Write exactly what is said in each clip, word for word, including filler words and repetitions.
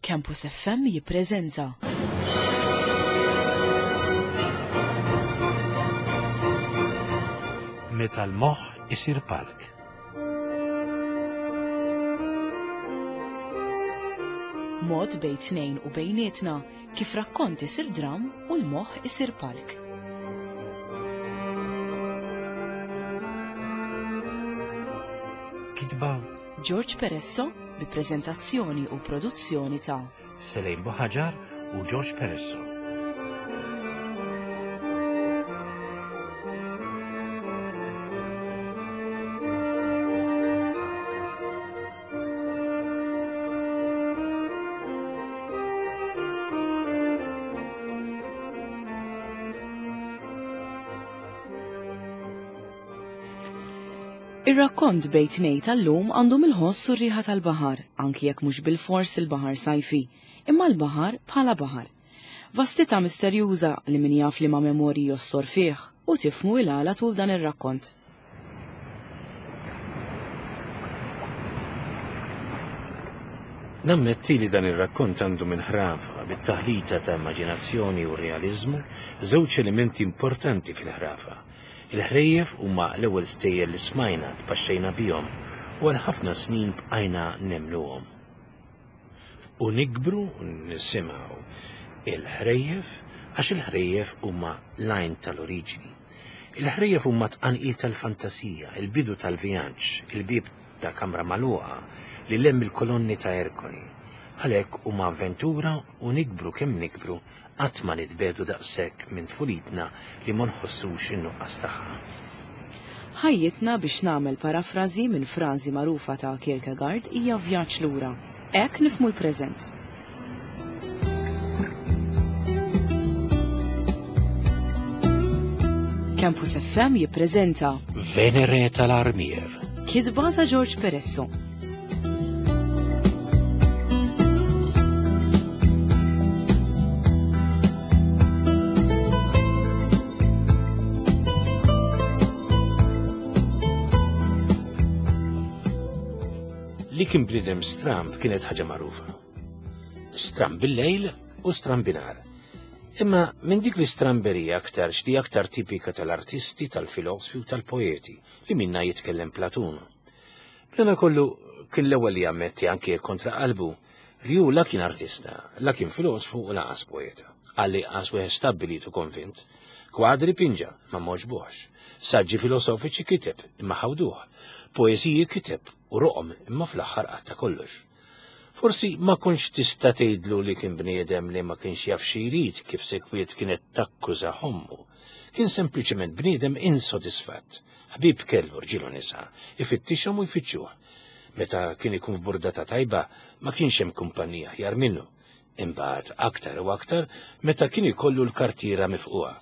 Campus F M jippreżenta Meta l-moħħ isir palk. Mod bejn tnejn u bejnietna kif rakkont isir dram u l-moħħ isir palk. Kitba George Peresso bi preżentazzjoni u produzzjoni ta' Selejn Buħaġar u George Peresso. Ir-rakkont bejn tnejn tal-lum għandu mill-ħoss u r-riħa tal-baħar, anki jekk mhux bil-fors il-baħar sajfi, imma l-baħar bħala baħar. Vastità misterjuża li min jaf li ma' memorji jossor fih u tifmu il-għala tul dan ir-rakkont. Nammetti li dan ir-rakkont għandu minn ħrafa bit-taħlita ta' immaġinazzjoni u realiżmu, żewġ elementi importanti fil-ħrafa. Il-ħrejjef huma l-ewwel stejjer li smajna tpaxxejna bihom u għal ħafna snin bqajna nemluhom. U nikbru nisimgħu il-ħrejjef għax il-ħrejjef huma l-għajn tal-oriġini. Il-ħrejjef huma tqanqil tal-fantasija, il-bidu tal-vjaġġ, il-bieb ta' kamra magħluqa li lemm il-kolonni ta' Erkoli. Għalhekk huma avventura u nikbru kemm nikbru qatt ma nitbedu daqshekk minn tfulitna li ma nħossux in-nuqqas tagħha. Ħajjitna, biex nagħmel parafrażi minn frażi magħrufa ta' Kierkegaard, hija vjaġġ lura. Hekk nifhmu l-preżent. Campus F M jippreżenta Venere tal-Armier. Kitba ta' George Peresso. Li kien bniedem stramb kienet ħaġa magħrufa. Stramb bil-lejl u stramb binhar. Imma minn dik l-istramberija aktarx li aktar tipika tal-artisti, tal-filosofi u tal-poeti li minna jitkellem Platun. B'dana kollu kien l-ewwel li jammetti anke kontra qalbu li hu la kien artista, la kien filosofu u lanqas poeta. Għalli qas wieħed stabbilit u konvint. Kwadri pinġa ma moġbuħx. Saġġi filosofiċi kiteb imma ħawduh. Poeżiji kiteb u roqom imma fl-aħħar qatta kollox. Forsi ma kontx tista' tgħidlu li kien bniedem li ma kienx jaf xi jrid kif sekwiet kienet takkuża ommu. Kien sempliċement bniedem insodisfatt. Ħbieb kellu rġiel u nisa, ifittixhom u jfittxuh. Meta kien ikun f'burdata tajba ma kienx hemm kumpanija aħjar minnu. Imbagħad aktar u aktar meta kien ikollu l-kartiera mifquha.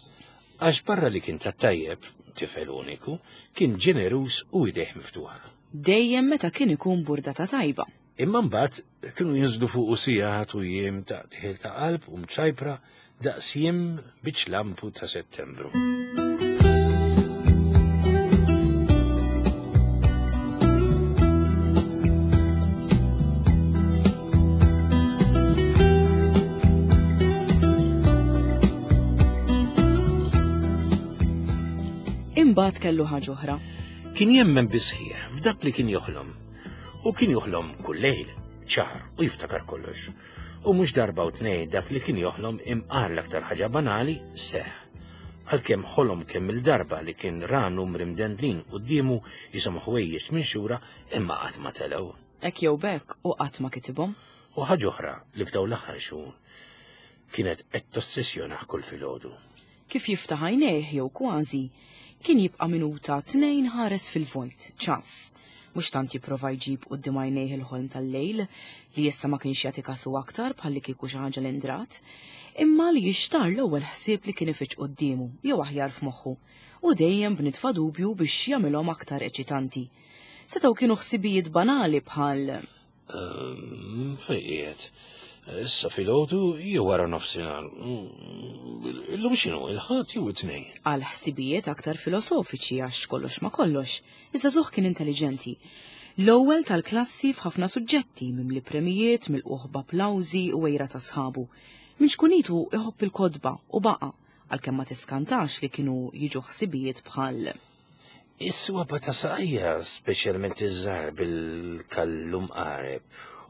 Għax barra li kien tat-tajjeb, tifel uniku, kien ġeneruż u idejh miftuħa. Dejjem meta kien ikun burdata tajba. Imma mbagħad kienu jinżlu fuq sigħat u jiem ta' tħil ta' qalb u mċajpra daqs jiem biċ lampu ta' Settembru. Imbagħad kellu ħaġa oħra. Kien jemmen bisħieħ f'dak li kien joħlom. U kien joħlom kull lejl, ċar, u jiftakar kollox. U mhux darba u tnejn dak li kien joħlom imqar l-aktar ħaġa banali seħ. Għalkemm ħolom kemm il-darba li kien ra numri mdendlin quddiemu jisimgħu ħwejjeġ minn xura imma qatt ma telgħu. Hekk jew b'hekk u qatt ma kitibhom. U ħaġa oħra li f'dawn l-aħħar xhur kienet qed tossessjonah kull filgħodu. Kif jiftaħ għajnejh jew kważi, kien jibqa' minuta tnejn ħares fil-vojt, ċass. Mhux tant jipprova jġib quddiem għajnejh il-ħolm tal-lejl, li issa ma kienx jagħti kasu aktar bħalli kieku xi ħaġa li ndrat, imma li jixtar l-ewwel ħsieb li kien ifiġġ quddiemu jew aħjar f'moħħu, u dejjem b'nitfa' dubju biex jagħmilhom aktar eċitanti. Setgħu kienu ħsibijiet banali bħal Ehm, fejn qiegħed? Issa filgħodu jew wara nofsinhar. Illum x'inhu, il-Ħadd jew it-Tnejn? Għal ħsibijiet aktar filosofiċi għax kollox ma kollox, iżda żuħ kien intelligenti. L-ewwel tal-klassi f'ħafna suġġetti mimli premijiet, milqugħ b'applawżi u għira ta' sħabu. Minn ċkunitu iħobb il-kotba u baqa', għalkemm ma tiskantax li kienu jiġu ħsibijiet bħal Is-swaba ta' saqajja, speċjalment iż-żgħar bil-kallum qareb,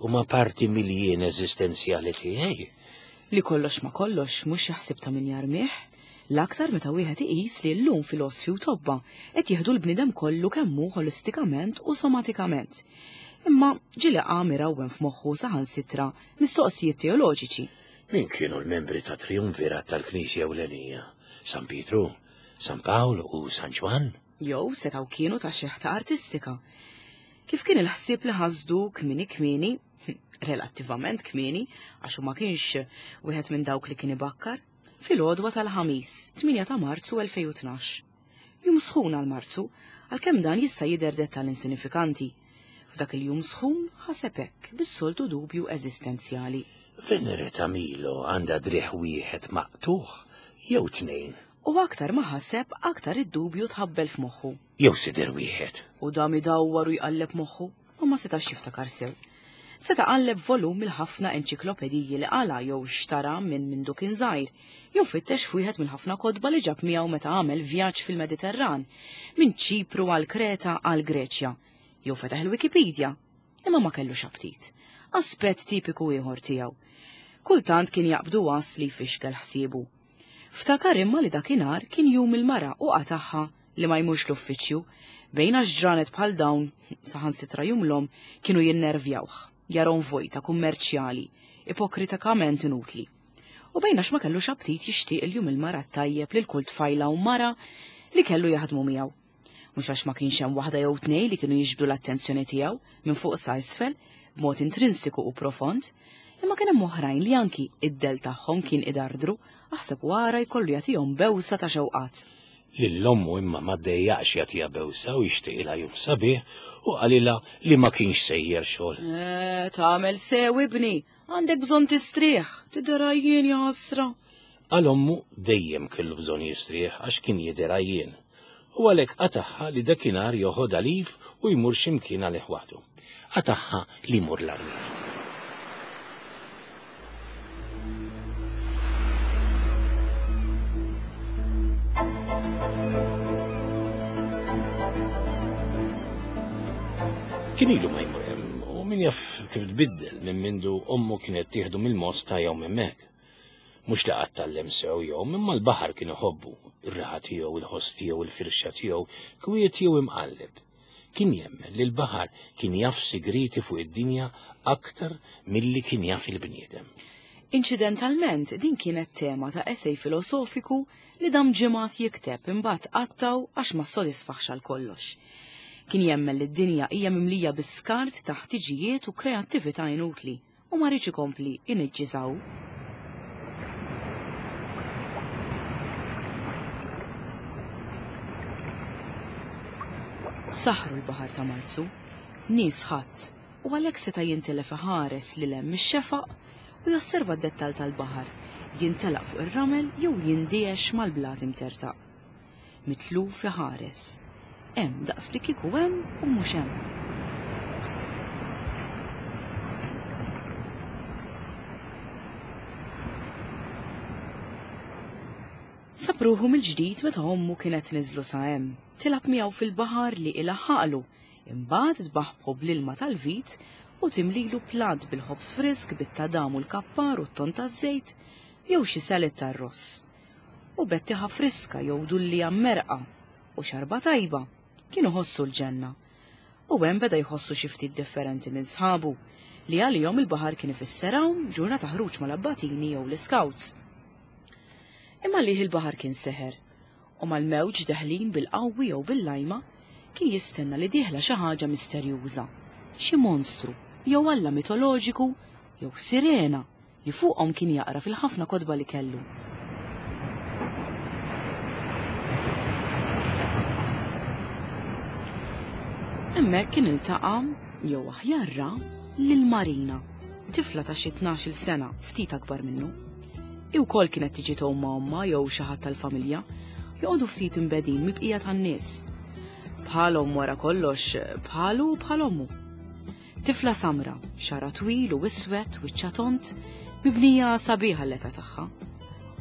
huma parti mill-jien eżistenzjali tiegħi. Li kollox ma kollox mhux xi ħsieb ta' min jarmih, l-aktar meta wieħed iqis li llum filosfi u tobba qed jieħdu l-bniedem kollu kemm hu ħolistikament u somatikament. Imma ġieli qam irawwem f'moħħu saħansitra mistoqsijiet teoloġiċi. Min kienu l-membri ta' triumvirat tal-Knisja Ewlenija? San Pietru, San Pawl u San Ġwann? Jew setgħu kienu ta' xeħta artistika. Kif kien il-ħsieb li ħasdu kmieni kmieni, relattivament kmieni, għax hu ma kienx wieħed minn dawk li kien ibakkar, fil-għodwa tal-Ħamis, tmienja ta' Marzu elfejn u tnax. Jum sħun għal Marzu, għalkemm dan jista' jidher dettall insinifikanti. F'dak il-jum sħun ħaseb hekk bis-soltu dubju eżistenzjali. Venere ta' Milo għandha driegħ wieħed maqtugħ jew tnejn. U aktar ma ħaseb, aktar id-dubju tħabbel f'moħħu. Jew sider wieħed. U dam idawwar u jqalleb moħħu, u ma setax jiftakar sew. Seta' qalleb volum mill-ħafna enċiklopediji li qala jew xtara minn mindu kien żgħir, jew fittex f'wieħed mill-ħafna kotba li ġab miegħu meta għamel vjaġġ fil-Mediterran, minn Ċipru għal Kreta għal Greċja, jew fetaħ il-Wikipedia, imma ma kellux aptit. Aspett tipiku ieħor tiegħu. Kultant kien jaqbdu għas li jfixkel ħsiebu. Ftakar imma li dakinhar kien jum il-mara u qataħħa li ma jmurx l-uffiċċju, bejn għax ġranet bħal dawn, saħansitra jumlhom, kienu jinnervjawh, jarom vojta kummerċjali, ipokritikament inutli. U bejn għax ma kellux aptit jixtieq il-jum il-mara tajjeb lil kull tfajla u mara li kellu jaħdmu miegħu. Mhux għax ma kienx hemm waħda jew tnejn li kienu jiġbdu l-attenzjoni tiegħu minn fuq sa isfel b'mod intrinsiku u profond, imma kien hemm oħrajn li anki id-del tagħhom kien idardru, aħseb wara jkollu jagħtihom bewsa ta' xewqat. Lil ommu imma ma ddejjaqx jagħtiha bewsa u jixtieqilha jum sabiħ u qalilha li ma kienx sejjer xogħol. Eh, tagħmel sew ibni, għandek bżonn tistrieħ, tidher għajjien ja ħasra. Għal ommu dejjem kellu bżonn jistrieħ għax kien jidher għajjien. U għalhekk qataħħa li dakinhar joħodha lif u jmur x'imkien għalih waħdu. Qataħħa li jmur l-armier. Kien ilu ma jmur hemm u min jaf kif tbiddel minn mindu ommu kienet tieħdu mill-mosta jew hemmhekk. Mhux li qatt tgħallem sew jew imma l-baħar kien iħobbu, ir-raħa tiegħu, il-ħoss tiegħu, il-firxa tiegħu, kwiet jew imqalleb. Kien jemmen li l-baħar kien jaf sigriti fuq id-dinja aktar milli kien jaf il-bniedem. Inċidentalment, din kienet tema ta' essej filosofiku li dam ġimgħat jikteb imbagħad qattaw għax ma ssodisfaħx għal kollox. Kien jemmen li d-dinja hija mimlija bi skart ta' ħtiġijiet u kreattività inutli u ma rridx ikompli iniġġiżaw. Saħru l-baħar ta' Marzu, nies ħadd, u għalhekk seta' jintilef iħares lil hemm ix-xefaq u josserva d-dettall tal-baħar, jintelaq fuq ir-ramel jew jindiex mal-blat imtertaq. Mitluf iħares. Hemm daqs li kieku hemm u mhux hemm. Sab ruħu mill-ġdid meta ommu kienet niżlu sa hemm, tilgħab miegħu fil-baħar li ilaħħaqlu, imbagħad tbaħbħu bl-ilma tal-vit u timlilu plat bil-ħobż frisk bit-tadam u l-kappar u t-ton taż-żejt jew xi salad tar-ross. U bettiħa friska jew dullija merqa u xarba tajba kienu ħossu l-ġenna. U hemm beda jħossu xi ftit differenti minn sħabu li għalihom il-baħar kien ifisser hawn ġurnata ħruġ mal-abbatini jew l-scouts. Imma lih il-baħar kien seħer u mal-mewġ deħlin bil-qawwi jew bil-lajma kien jistenna li dieħla xi ħaġa misterjuża, xi monstru jew alla mitoloġiku jew sirena li fuqhom kien jaqra fil-ħafna kotba li kellu. Hemmhekk kien iltaqa' jew aħjar ra lil Marina, tifla ta' xi tnax-il sena, ftit akbar minnu. Hi wkoll kienet tiġi tgħum ma' ommha jew xi ħadd tal-familja, joqogħdu ftit imbedin mill-bqija tan-nies. Bħalhom wara kollox, bħalu bħal ommu. Tifla samra, xara twil u iswed wiċċha tond, mibnija sabiħa l-età tagħha.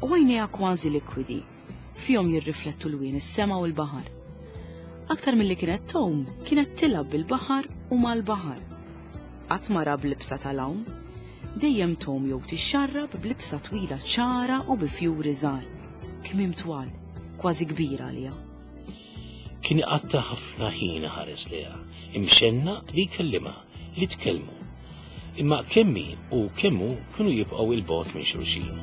U għajnejha kważi likwidi, fihom jirriflettu lwien is-sema u l-baħar. Aktar milli kienet tgħum, kienet tilgħab bil-baħar u mal-baħar. Qatt ma ra b'libsa tal-għawm, dejjem tgħum jew tixxarrab b'libsa twila ċara u bi fjuri żgħar, kmiem twal, kważi kbira għaliha. Kien iqatta' ħafna ħin iħares lejha, imxenna li jkellimha, li tkellmu. Imma kemm hi u kemm hu kienu jibqgħu 'il bogħod minn xulxin.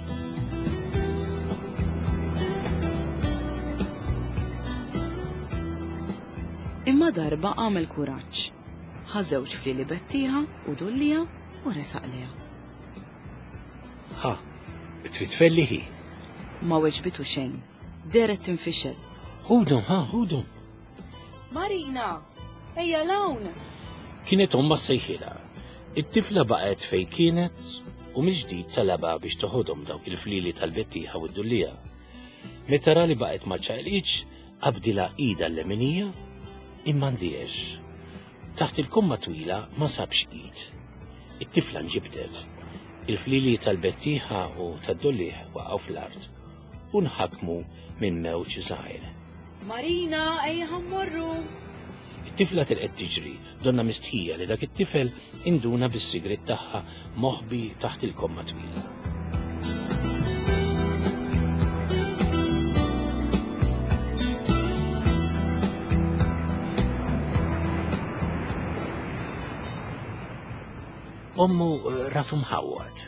Imma darba għamel kuraġġ. Ħa żewġ flieli bettieħa u dullija u resaq lejha. Ħa, trid tfelli hi. Ma weġbitu xejn. Dehret tinfixel. Ħudhom, ħa, ħudhom. Marina, ejja 'l hawn! Kienet ommha ssejħilha. It-tifla baqgħet fejn kienet u mill-ġdid talabha biex toħodhom dawk il-flieli tal-bettieħa u d-dullija. Meta ra li baqgħet ma ċaqliqx, qabdilha idha l-leminija imma ndiex. Taħt il-komma twila ma sabx id. It-tifla nġibdet. Il-flieli tal-bettieħa u tad-dullieħ waqgħu fl-art u nħakmu minn mewġ żgħir. Marina, ejja ħa mmorru! It-tifla telqet tiġri, donna mistħija li dak it-tifel induna bis-sigriet tagħha moħbi taħt il-komma twila. Ommu ratu mħawwad.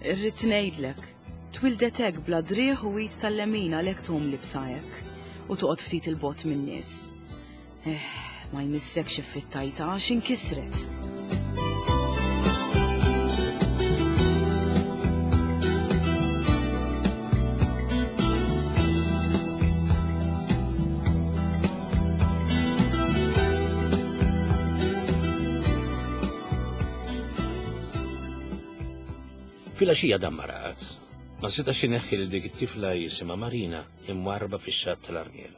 Irrid ngħidlek, twildet hekk bla driegħ u id tal-lemin għalhekk tgħum libsa hekk u toqgħod ftit 'il bogħod min-nies. Eh, ma jmissekx iffittajta għax inkisret. Filgħaxija dam ma raqad. Ma setax ineħħi lil dik it-tifla jisimha Marina imwarrba fix-xatt tal-Armiel.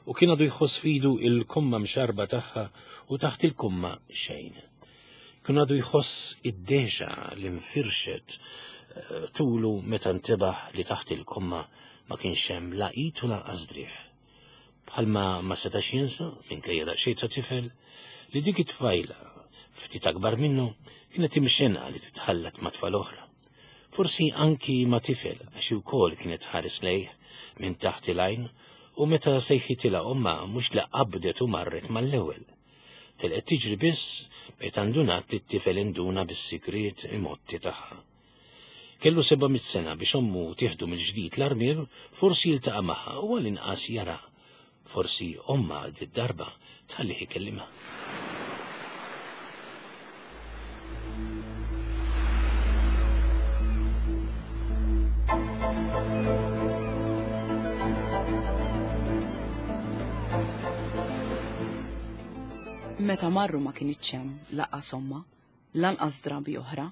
U kien għadu jħoss f'idu il-komma mxarba tagħha u taħt il-komma xejn. Kien għadu jħoss id-deġa li nfirxet eh, tulu meta ntebaħ li taħt il-komma ma kienx hemm la id u lanqas driegħ. Bħalma ma setax jinsa, minkejja daqsxejn ta' tifel, li dik it-tfajla ftit akbar minnu kienet imxenqa li titħallat ma' tfal oħra. Forsi anki ma' tifel għax ukoll kienet tħares lejh minn taħt il-għajn u meta sejħitilha ommha mhux li qabdet u marret mal-ewwel. Telqet tiġri biss meta ndunat li t-tifel induna bis-sigriet imotti tagħha. Kellu seba' mitt sena biex ommu tieħdu mill-ġdid l-Armier, forsi jiltaqa' magħha u għall-inqas jara. Forsi ommha d-darba tħallih ikellimha. Meta marru ma kinitx hemm lanqas ommha, lanqas drabi oħra,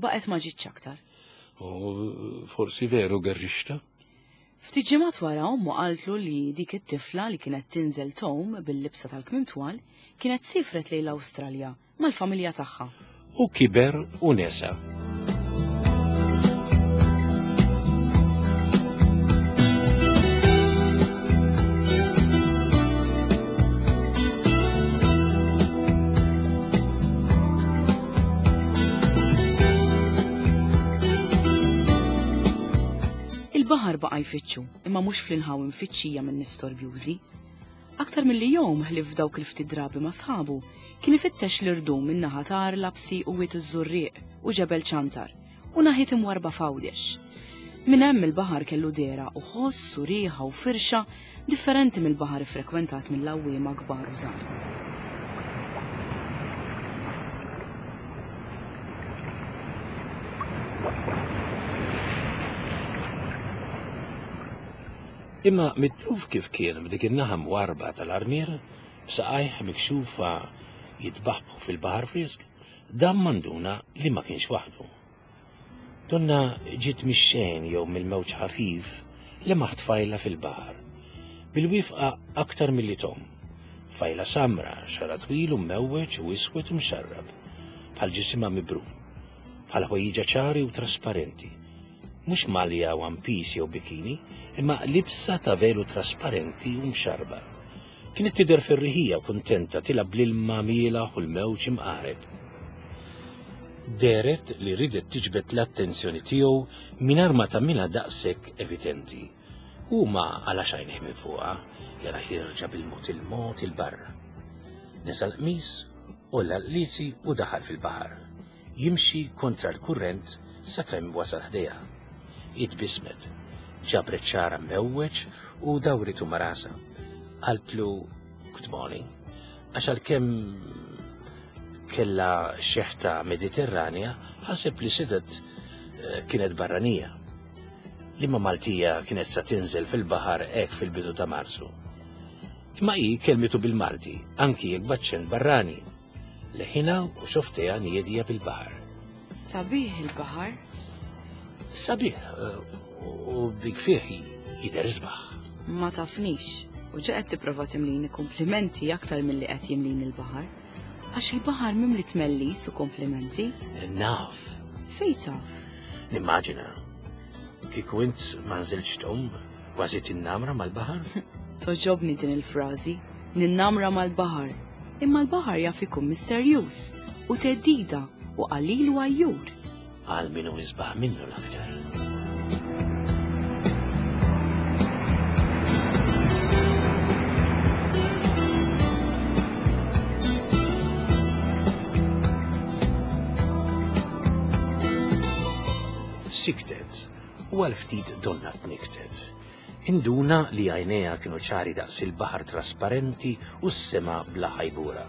baqgħet ma ġietx aktar. U forsi veru gerrixta? Ftit ġimgħat wara ommu qaltlu li dik it-tifla li kienet tinżel tgħum bil-libsa tal-kmiem twal kienet sifret lejn l-Awstralja mal-familja tagħha. U kiber u nesa. Il-baħar baqa' jfittxu, imma mhux fl-inħawi mfittxija minn nies storbjużi. Aktar milli jgħum ħlief f'dawk il-ftit drabi ma' sħabu, kien ifittex l-irdum minn naħa ta' Għar Lapsi u Wied iż-Żurrieq u Ġebel Ċantar u naħiet imwarrba f'Għawdex. Minn hemm il-baħar kellu dehra u ħoss u riħa u firxa differenti mill-baħar iffrekwentat mill-għawwiema kbar u żgħar. Imma mitluf kif kien b'dik in-naħa mwarrba tal-Armier, b'saqajh mikxufa jitbaħbħu fil-baħar frisk, dam ma nduna li ma kienx waħdu. Donna ġiet mix-xejn jew mill-mewġ ħafif li maħ tfajla fil-baħar, bil-wifqa aktar milli tom, Tfajla samra, xagħarha twil u mmewweġ u iswed u mxarrab, bħal ġisimha mibrum, bħal ħwejjiġha ċari u trasparenti. Mhux malja one piece jew bikini, imma libsa ta' velu trasparenti u mxarba. Kienet tidher ferriħija u kuntenta tilgħab bl-ilma mielaħ u l-mewġ imqareb. Dehret li ridet tiġbed l-attenzjoni tiegħu mingħajr ma tagħmilha daqshekk evidenti. U ma qalax għajnejh minn fuqha, jara ħierġa bil-mod il-mod 'il barra. Neża' l-qmis, għolla l-qliezi u daħal fil-baħar. Jimxi kontra l-kurrent sakemm wasal ħdejha. Hi tbissmet, ġabret xagħarha mmewweġ u dawritu ma' rasha. Qaltlu good morning, għax għalkemm kella xeħta Mediterranja, ħaseb li setgħet eh, kienet barranija. Liema Maltija kienet sa tinżel fil-baħar hekk fil-bidu ta' Marzu. Imma hi kelmitu bil-Malti, anki jekk b'aċċent barrani. Leħinha u xofftejha niedija bil-baħar. Sabiħ il-baħar? Sabiħ, eh, u bik fih jidher isbaħ. Ma tafnix, u ġa qed tipprova timlini komplimenti aktar milli qed jimlini l-baħar. Għax il-baħar mimli tmellis u komplimenti. Naf. Fejn taf? Nimmaġina. Kieku int ma nżiltx tgħum, kważi tinnamra mal-baħar? Togħġobni din il-frażi, ninnamra mal-baħar. Imma l-baħar jaf ikun misterjuż u theddida u qalil u għajjur. Għal min hu isbaħ minnu l-aktar. Siktet u għal ftit donnha tnikktet. Induna li għajnejha kienu ċari daqs il-baħar trasparenti u s-sema bla ħajbura.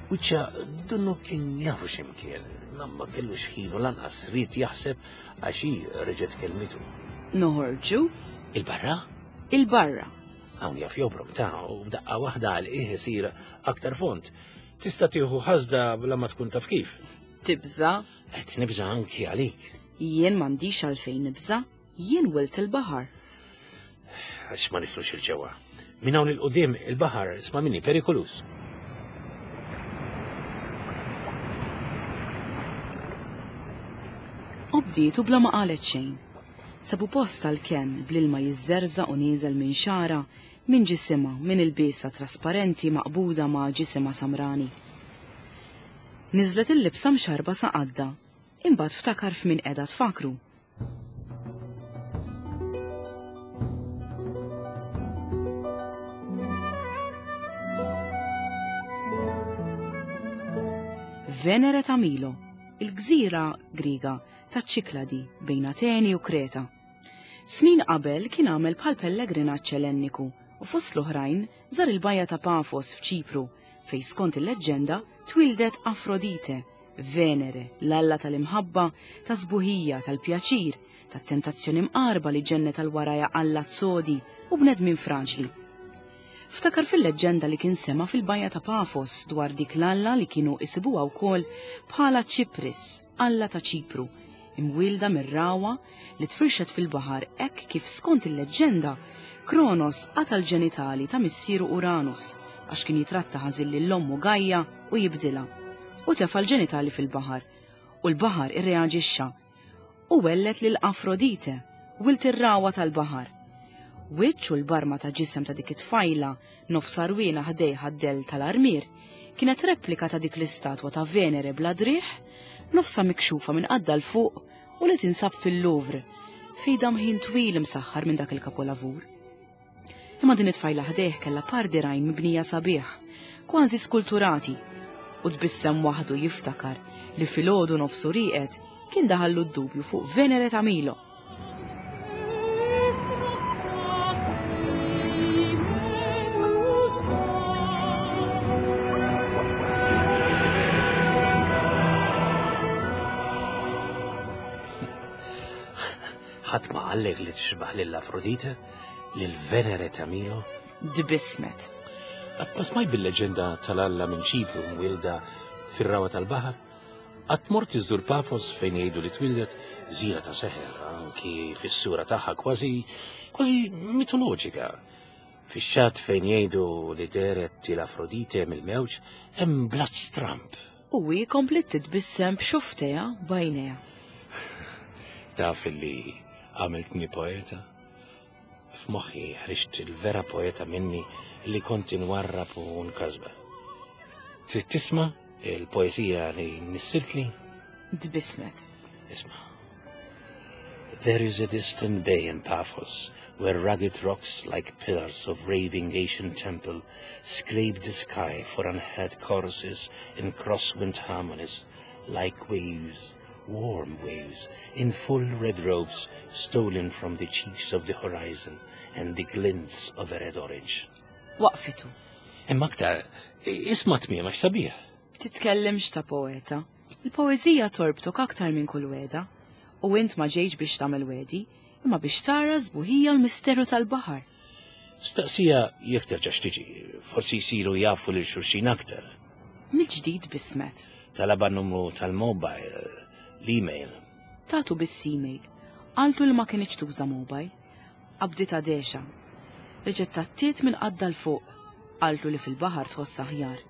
Wiċċha donnu kien jafu x'imkien, ma ma kellux ħin u lanqas ried jaħseb għax hi reġgħet kelmitu. Noħorġu? Il-barra? Il-barra. Hawn jaf jobrom ta' u b'daqqa waħda għal qiegħ isir aktar fond. Tista' tieħu ħasda bla ma tkun taf kif. Tibża? Qed nibża anki għalik. Jien m'għandix għalfejn nibża, jien wilt il-baħar. Għax ma nidħlux 'il ġewwa. Minn hawn 'il quddiem il-baħar isma' minni perikoluż. Obdietu bla ma qalet xejn. Sabu post tal-kenn bl-ilma jiżżerżaq u nieżel minn xagħarha, minn ġisimha, minn ilbiesha trasparenti maqbuda ma' ġisimha samrani. Niżlet il-libsa mxarba sa qaddha, imbagħad ftakar f'min qiegħda tfakru. Venere ta' Milo, il-gżira Griega ta' Ċikladi bejn Ateni u Kreta. Snin qabel kien għamel bħal pellegrinaġġ Ellenniku u fost l-oħrajn żar il-bajja ta' Pafos f'Ċipru fejn skont il-leġġenda twildet Afrodite, Venere, l-alla tal-imħabba, ta' sbuħija, tal-pjaċir, tat-tentazzjoni mqarba li ġennet għal warajha allat sodi u bnedmin fraġli. Ftakar fil-leġġenda li kien sema fil-bajja ta' Pafos dwar dik l-alla li kienu isibuha wkoll bħala Ċipris, alla ta' Ċipru, imwielda mir-rawa li tfirxet fil-baħar hekk kif skont il-leġġenda Kronos qata' l-ġenitali ta' missieru Uranus għax kien jitratta ħażin lil ommu Gaia u jibdilha. U tefa' l-ġenitali fil-baħar. U l-baħar irreaġixxa u wellet lil Afrodite, wilt ir-rawa tal-baħar. Wiċċ u l-barma ta' ġisem ta' dik it-tfajla nofs għarwiena ħdejha d-dell tal-armier kienet replika ta' dik l-istatwa ta' Venere bla driegħ, nofsha mikxufa minn qaddha 'l fuq u li tinsab fil-Louvre, fejn dam ħin twil imsaħħar minn dak il-kapolavur. Imma din it-tfajla ħdejh kellha par dirgħajn mibnija sabiħ, kważi skulturati, u tbissem waħdu jiftakar li filgħodu nofsu rieqed kien daħallu d-dubju fuq Venere ta' Milo. Ħadd ma qallek li tixbaħ lil Afrodite, lil Venere ta' Milo? Tbissmet. Qatt ma smajt bil-leġenda tal-Alla minn Ċipru mwielda fir-rawa tal-baħar? Qatt mort iżżur Pafos fejn jgħidu li twildet gżira ta' seħer, anki fis-sura tagħha kważi kważi mitoloġika. Fix-xatt fejn jgħidu li dehret l-Afrodite mill-mewġ hemm blat stramb. U hi kompliet titbissem b'xufftejha b'għajnejha. Taf li għamiltni poeta? F'moħħi ħriġt il-vera poeta minni li kont inwarrab u nkasba. Trid tisma' il-poezija li nissiltli? Tbissmet. Isma'. There is a distant bay in Paphos where rugged rocks like pillars of raving ancient temple scrape the sky for unheard choruses in crosswind harmonies, like waves, warm waves, in full red robes stolen from the cheeks of the horizon and the glints of a red orange. Waqfitu. Imma aktar, isma' tmiemha x'sabiħ. Titkellimx ta' poeta. Il-poezija torbtok aktar minn kull wegħda. U int ma ġejx biex tagħmel wegħdi, imma biex tara sbuħija l-misteru tal-baħar. Staqsieha jekk terġax tiġi, forsi jsiru jafu lil xulxin aktar. Mill-ġdid tbissmet. Talabha numru tal-mobile, l-email. Tatu biss email. Qaltlu li ma kinitx tuża mobile. Qabditha dehxa. Reġgħet tgħattiet minn qaddha 'l fuq. Qaltlu li fil-baħar tħoss aħjar.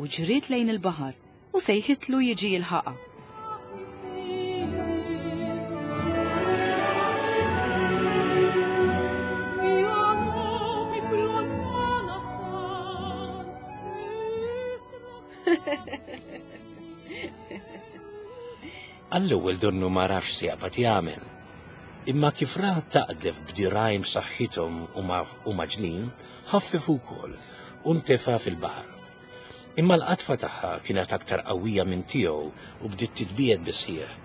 U ġriet lejn il-baħar u sejħitlu jiġi jilħaqha. Għall-ewwel donnu ma għarafx x'jaqbad jagħmel. Imma kif ra taqdef b'dirgħajn b'saħħithom u mgħaġġlin, ħaffef ukoll u ntefa' fil-baħar. Imma l-qatfa tagħha kienet aktar qawwija minn tiegħu u bdiet titbiegħed bis-sħiħ.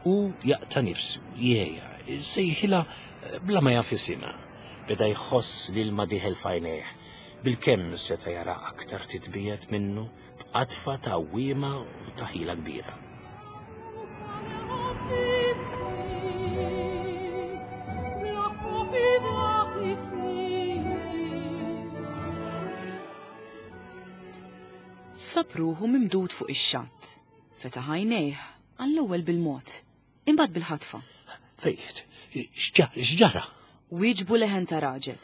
U jaqta' nifsu, jgħejja, sejħilha bla ma jaf isimha. Beda jħoss li l-ilma dieħel f'għajnejh. Bilkemm seta' jara aktar titbiegħed minnu b'qatfa ta' għawwiema u ta' ħila kbira. Sab ruħu mimdud fuq ix-xatt. Fetaħ għajnejh għall-ewwel bil-mod, imbagħad bil-ħatfa. Fejt, x'ġara? Wieġbu leħen ta' raġel.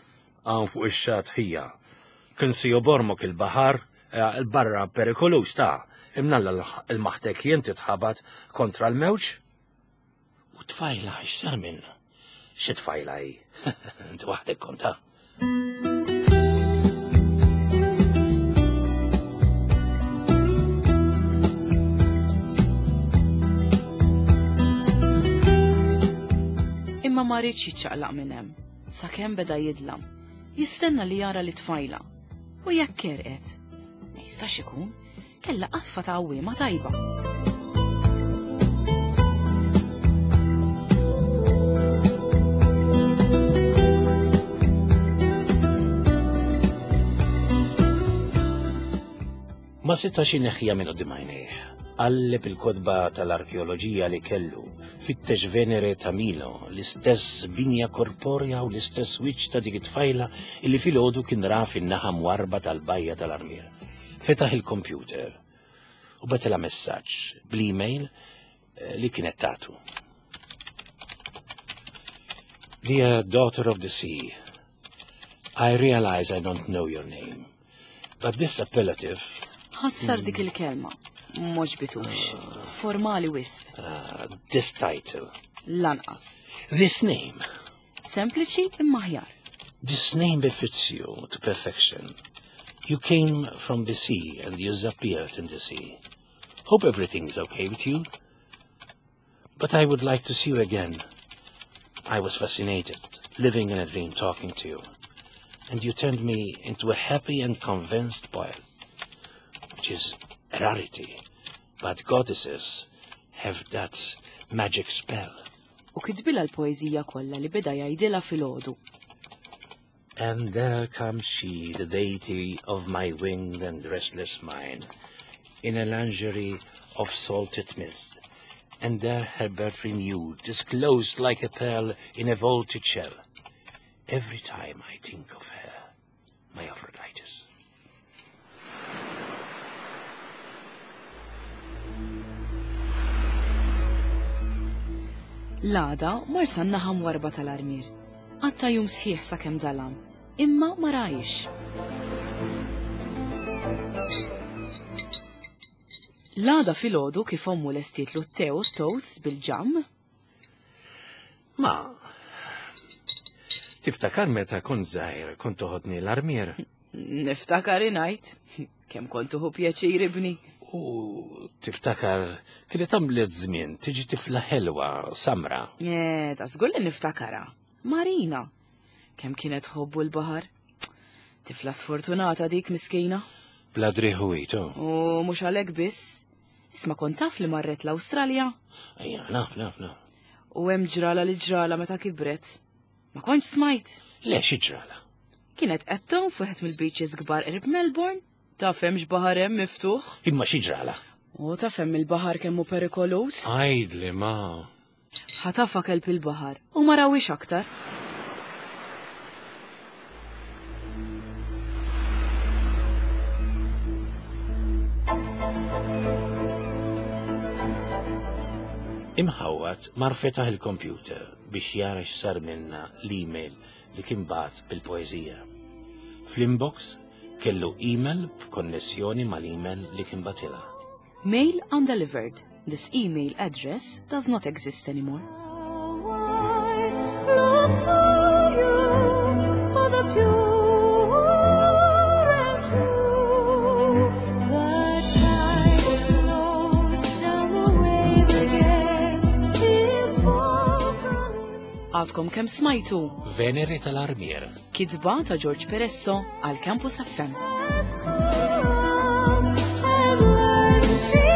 Hawn fuq ix-xatt ħija. Kien se jobormok il-baħar, eh, il-barra perikoluż ta' imnalla lmaħtek jien titħabat kontra l-mewġ. U tfajla, x'sar minna? Xi tfajla hi? Int waħdek konta. Imma ma riedx jiċċaqlaq minn hemm, sakemm beda jidlam. Jistenna li jara lit-tfajla. U jekk għerqet. Ma jistax ikun, kellha qatfa ta' għawwiema tajba. Ma setax ineħħiha minn quddiem għajnejh. Qalleb il-kotba tal-arkeoloġija li kellu, fittex Venere ta' Milo, l-istess binja korporja u l-istess wiċċ ta' dik it-tfajla illi filgħodu kien ra fin-naħa mwarba tal-bajja tal-Armier. Fetaħ il-kompjuter u bagħtilha messaġġ bl-email eh, li kienet tatu. Dear daughter of the sea, I realize I don't know your name, but this appellative Ħassar dik il-kelma. M'għoġbitux. Formali wisq. uh, this title, Lanqas. this name, Sempliċi imma aħjar. this name befits you to perfection. You came from the sea and you disappeared in the sea. Hope everything's okay with you. But I would like to see you again. I was fascinated, living in a dream, talking to you. And you turned me into a happy and convinced poet, which is a rarity. But goddesses have that magic spell. U kitbilha l-poeżija kollha li beda jgħidilha filgħodu. And there comes she, the deity of my winged and restless mind, in a lingerie of salted mist. And there her birth renewed, disclosed like a pearl in a vaulted shell. Every time I think of her, my Aphrodites. L-għada mar san-naħa mwarrba tal-Armier. Qatta' jum sħiħ sakemm dalam. Imma ma rajx. L-għada filgħodu kif ommu lestietlu t-te u t-toast bil-ġamm. Ma, tiftakar meta kont żgħir kont toħodni l-armier? Niftakar ingħid. Kemm kont tuħu pjaċir ibni. U tiftakar kienet għamlet żmien tiġi tifla ħelwa samra. Eh, ta' żgur li niftakara. Marina. Kemm kienet tħobbu l-baħar. Tifla sfortunata dik miskina. Bla driħu. U mhux għalhekk biss. Isma' kont taf li marret l-Awstralja. Ejja, naf, naf, naf. U hemm ġrala li ġrala meta kibret. Ma kontx smajt. Le, xi ġrala? Kienet qed tgħum f'wieħed mill-beaches kbar qrib Melbourne. Taf hemmx baħar hemm miftuħ. Imma xi ġrala? U taf hemm il-baħar kemm hu perikolus. Għidli ma. Ħatafa kelb il-baħar u ma rawhiex aktar. Imħawwad mar fetaħ il-kompjuter biex jara x'sar minna l-email li kien bagħat bil-poeżija. Fl-inbox kellu email b'konnessjoni mal-email li kien batilha. Mail undelivered. This email address does not exist anymore. Look to you for the pure and true. The tide flows down the wave again. Is for Għadkom kemm smajtu Venere tal-Armier. kitba ta' George Peresso għal Campus F M. Has come and learned she